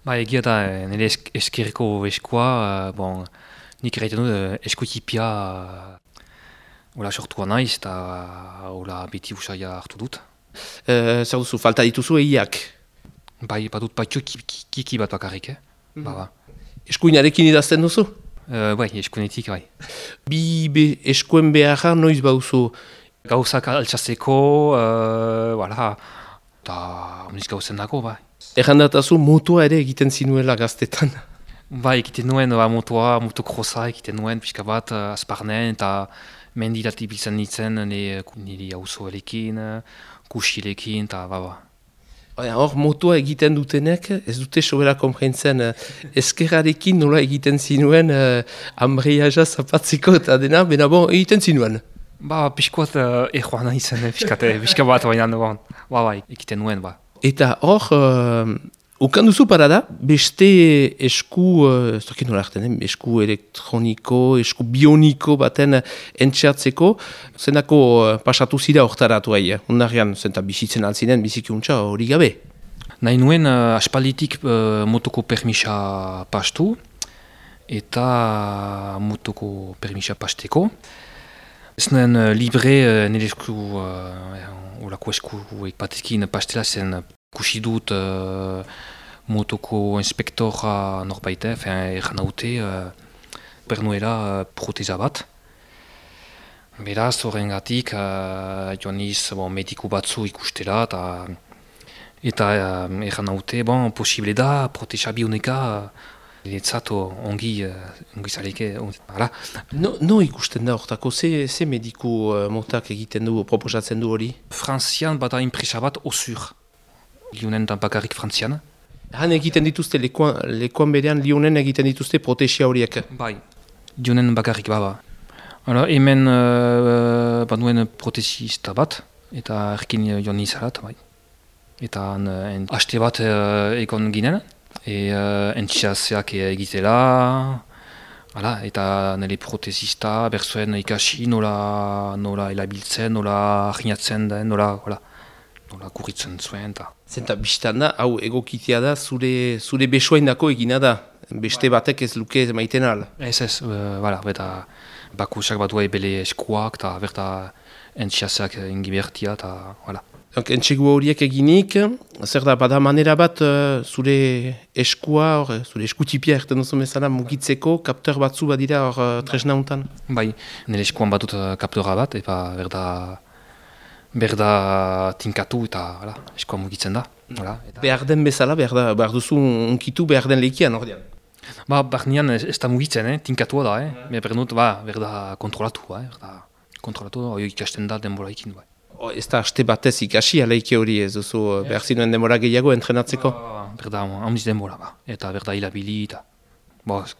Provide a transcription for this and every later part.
Ba, egia da, nire eskerreko eskua, nik erraiten dut eskutipia hola sortua naiz eta hola beti usaia hartu dut. Zer duzu, falta dituzu egiak? Bai, badut baitxo kiki bat bakarrik, ba. Eskuinarekin idazten duzu? Bai, eskuinetik, bai. Eskuen beharra noiz bauzu? Gauzak altxazeko, eta oniz gauzen dago, bai. Errandatazu motoa ere egiten zinuela gaztetan. Bai, egiten nuen motokrosa egiten nuen, pixka bat, azparnen, eta mendirat ibiltzen nintzen, nire auzoelekin, kusilekin, eta ba. Hor, motoa egiten dutenek, ez dute sobera konprentzen eskerrarekin nola egiten zinuen ambreiaja zapatziko eta dena, bena bon, egiten zinuen. Ba, pixkoat joan izan, pixka bat baina bai, egiten nuen, ba. Eta hor, ukan duzu parada, beste esku, ez dakit nola hartzen, esku elektroniko, esku bioniko baten entxeatzeko, zenako pasatu zira hortaratu ahi, ondarrean, zenta bizitzen altzinen, bizikiuntza hori gabe. Nahi nuen aspalditik motoko permisa pastu, eta motoko permisa pasteko. Ez nuen libre nire esku, olako esku batekin pastela zen kusi dut motoko inspektora norbaite, egan haute pernuela proteza bat. Beraz, horrengatik joan niz mediku batzu ikustela, eta egan haute, posible da, proteza bioneka, Etzat ongi zaleke, hala. No ikusten da hortako, ze mediku motak egiten du, proposatzen du hori? Frantzian bada inpresa bat osur. Lionen da bakarrik frantzian. Han egiten dituzte, lekuan berean Lionen egiten dituzte protesia horiek? Bai, Lionen bakarrik baba. Hemen baduen protesista bat, eta erkin joan izalat, bai. Eta haste bat egon ginen. Entxeazeak egitela, eta nire protesista berzuen ikasi nola elabiltzen, nola ahinatzen den, nola kurritzen zuen. Zenta biztan da, hau egokitea da, zure besoaindako egina da, beste batek ez luke maiten al. Ez, beta bakusak bat duai bele eskuak, eta berta entxeazeak ingibertia, eta Entxegu horiek eginik, zer da, bada manera bat zure eskua, zure eskutipia erten duzu bezala mugitzeko, kapteur batzu badira tresna hontan? Bai, nire eskuan batut kapteura bat, eta berda tinkatu eta eskuan mugitzen da. Behar den bezala, behar duzu unkitu behar den lehikian ordean? Barnean ez da mugitzen, tinkatua da, berda kontrolatu, ikasten da denbora ikin. Ez da haste batez ikasi aleike hori ez duzu behar zinuen denbora gehiago entrenatzeko? Berda, handiz denbora, eta berda hilabili, eta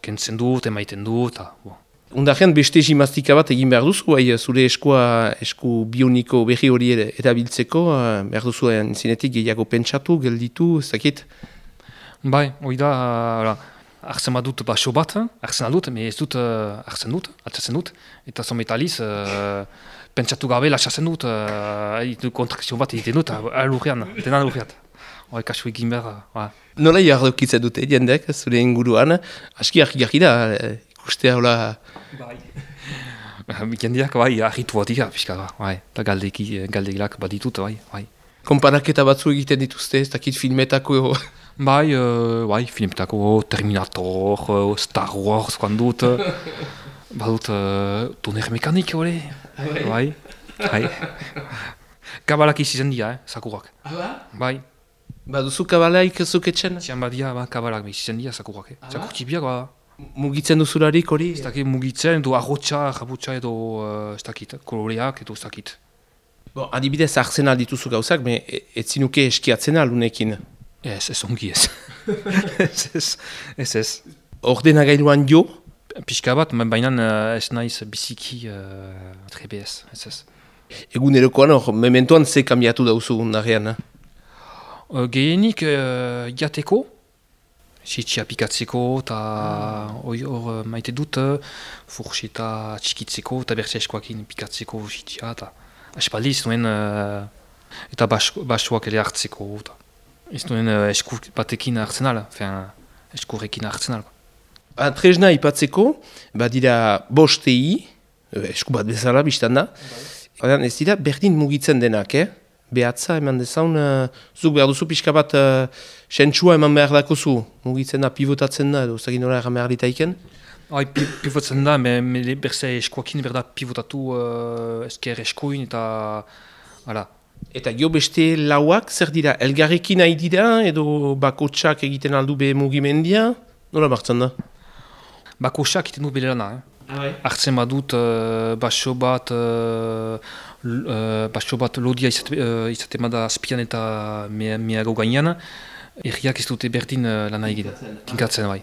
kentzen dut, emaiten dut, eta... Undarrean beste gimnastika bat egin behar duzu, zure esku bioniko berri hori erabiltzeko, behar duzu zinetik gehiago pentsatu, gelditu, ez dakit? Bai, hori da, hartzen bat dut baso bat, hartzen aldut, ez dut hartzen dut, altzatzen dut, eta zometaliz... Pentsatu gabe lasatzen dut, kontrakzio bat egiten dut, alurrean, denan alurreat. Kasu egin behar. Nola jardokitzen dute, jendek, zure inguruan, aski argi da, ikustea hola... Bai. Jendeak, argitu bat dira, pixka, eta galdegilak bat ditut, bai. Konparaketa batzu egiten dituzte, ez dakit filmetako... Bai, filmetako Terminator, Star Wars, dut... Badut toner mekanik hori, bai. Kabalak izan dira, sakurak. Bai. Baduzu kabalaik zuketzen? Zian badia, kabalak izan dira, sakurak. Sakurtipiak, Mugitzen duzularik hori? Ez dakit mugitzen, edo arrotxa, jabutxa edo ez dakit, koloreak edo ez dakit. Adibidez, hartzen aldituzu gauzak, ez zinuke eskiatzen alunekin? Ez ongi ez. Ez. Ordenagailuan jo? Pixka bat, baina ez naiz biziki trebez, ez. Egunerokoan hor, mementoan ze kambiatu dauzu undarrean? Gehienik jateko, sitxia pikatzeko, eta hor maite dut, furxeta txikitzeko, eta berze eskoakin pikatzeko sitxia, eta aspaldiz nuen, eta basoak ere hartzeko. Ez duen esku batekin hartzen ala, eskurrekin hartzen ala. Tresna ipatzeko, badira bostei, esku bat bezala biztan da. Ez dira berdin mugitzen denak, Behatza eman dezaun, zuk behar duzu pixka bat sentsua eman behar dakozu, mugitzen da, pivotatzen da, edo zagin nola egan behar ditaiken. Pivotatzen da, berze eskuakin berda pivotatu esker eskuin eta... Hala. Eta gio beste lauak, zer dira, elgarrekin nahi dira, edo bakotsak egiten aldu be mugimendia? Nola martzen da? Bakotsak egiten du bere lana, Hartzen badut baso bat lodia izaten bada azpian eta meago gainean, erriak ez dute berdin lana egiten, tinkatzen bai.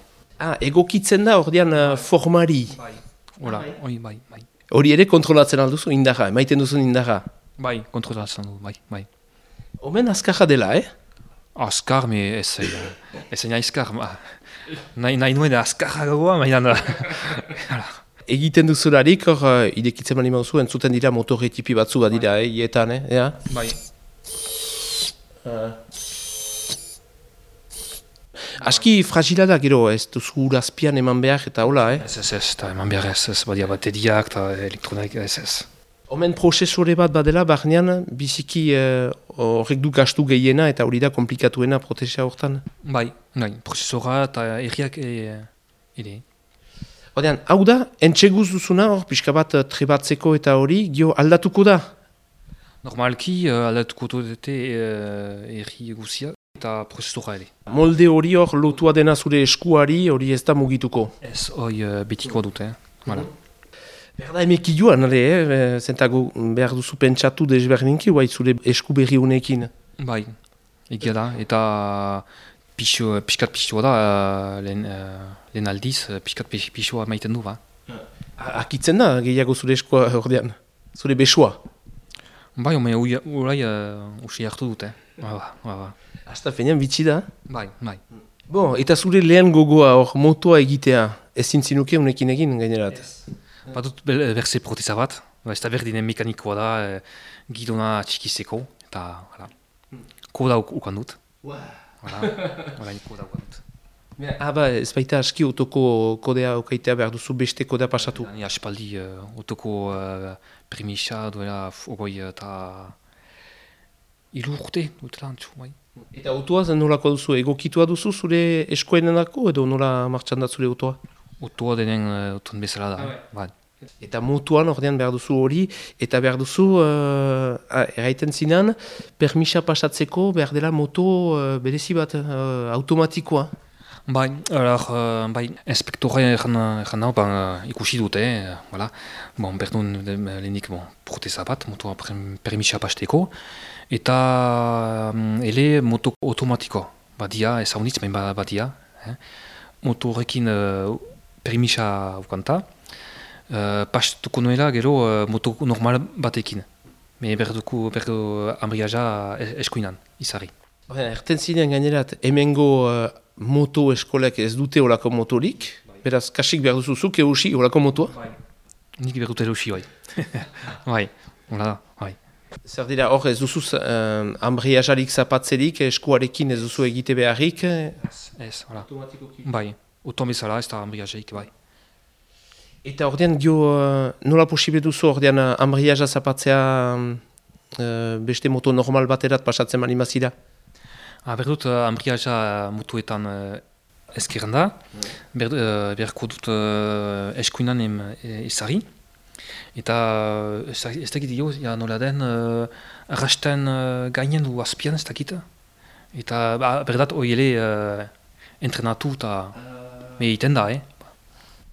Egokitzen da ordean formari. Bai, bai. Hori ere kontrolatzen alduzu indarra, emaiten duzun indarra. Bai, kontrolatzen du, bai. Omen azkarra dela, Azkar, ez nahi azkar. Nahi nuen azkarra gagoa, mainan da. Egiten duzularik, hor, idekitzen mani mauzu, entzuten dira motorretipi batzu bat dira, hietan, Bai. Aski fragila da, gero, ez duzu urazpian eman behar eta hola, Ez, eta eman behar ez, badia bateriak eta elektronik, ez. Omen prozesore bat badela, barnean, biziki horrek du gastu gehiena eta hori da komplikatuena protesa hortan. Bai, prozesora eta erriak ere. Odean, hau da, entxeguz duzuna hor, pixka bat trebatzeko eta hori, gio aldatuko da? Normalki aldatuko dute erri guzia eta prozesora ere. Molde hori hor lotua dena zure eskuari, hori ez da mugituko? Ez, hori betiko dute, Voilà. Berda emeki joan, zentago behar duzu pentsatu desberdinki, guai zure esku berri honekin. Bai, egia da, eta pixkat pixua da, lehen aldiz, pixkat pixua maiten du, ba. Akitzen da, gehiago zure eskua ordean, zure besua. Bai, orai usi hartu dute, ba. Hasta fenean bitxi da? Bai. Bon, eta zure lehen gogoa hor motoa egitea, ezin zinuke unekin egin gainerat? Badut berze proteza bat, ez da berdinen mekanikoa da, gidona txikizeko, eta koda ukan dut. Koda ukan dut. Ez baita aski otoko kodea okaitea behar duzu beste kodea pasatu? Ni aspaldi otoko premisa duela ogoi eta urte dutela antzu, bai. Eta otoa zen nolako duzu, egokitua duzu zure eskoenenako edo nola martxan da zure otoa? Otoa denen oton bezala da, bai. Eta motuan ordean behar duzu hori, eta behar duzu, erraiten zinan, permisa pasatzeko behar dela moto berezi bat automatikoa. Bai, inspektore egan hau ikusi dute, berdun lehenik proteza bat, motoa permisa pasteko, eta ele moto automatiko, badia, ez haunitz, badia, moto horrekin permisa ukanta, pastuko nuela gero moto normal batekin. Berdu ambriaja eskuinan, izari. Erten zinean gainerat, hemengo moto eskolek ez dute olako motorik, beraz kasik behar duzuzuk eusi olako motoa? Nik behar dute eusi, bai. Hola da, bai. Zer dira, hor ez duzuz ambriajarik zapatzerik, eskuarekin ez duzu egite beharrik? Ez, hola. Bai, oton bezala ez da ambriajaik, bai. Eta ordean, nola posible duzu ordean ambriaja zapatzea beste moto normal baterat pasatzen mani mazira? Berdut ambriaja mutuetan ezkerren da, beharko dut eskuinan ezari, eta ez dakit dio, nola den, arrasten gainen du azpian ez dakit, eta berdat oiele entrenatu eta egiten da,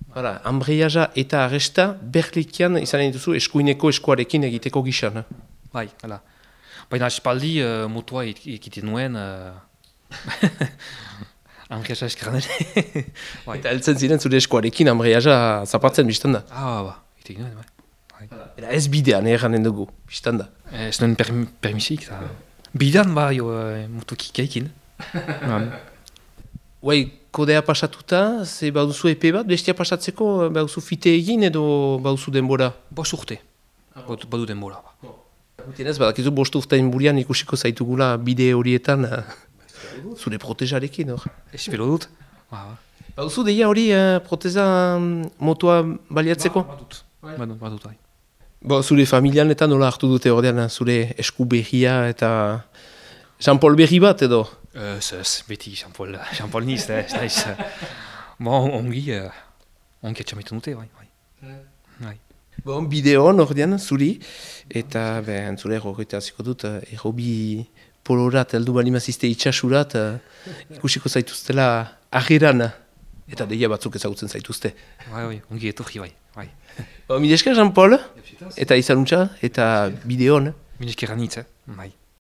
Hala, ambriaja eta arresta berlikian izan nahi duzu eskuineko eskuarekin egiteko gisan. Bai, hala. Baina espaldi motoa egiten nuen ambriaja eskerran ere. Eta heltzen ziren zure eskuarekin ambriaja zapatzen biztan da. Egiten nuen, bai. Eta ez bidean erranen dugu, biztan da. Ez nuen permisik. Bidean bai motokik egin. Uai, kodea pasatuta, ze bauduzu epe bat, bestia pasatzeko bauduzu fite egin edo bauduzu denbora? Bost urte, badu denbora. Gutenez, badakizu bost urtein burian ikusiko zaitugula bide horietan Zure protezarekin, hor. Espero dut. Bauzu deia hori proteza motoa baliatzeko? Badut, bai. Zure familian eta nola hartu dute ordean zure esku berria eta Jean-Paul berri bat edo? Ez, beti Jean-Paul niz, ez naiz. Ongi etxametan dute, bai. Bideoan ordean zuri, eta zure errogeita ziko dut, errobi polorat, heldu balimazizte itxasurat, ikusiko zaituztela agiran, eta deia batzuk ezagutzen zaituzte. Bai, ongi etorri, bai. Mil esker Jean-Paul, eta izanuntza, eta bideoan. Mil esker anitz, bai.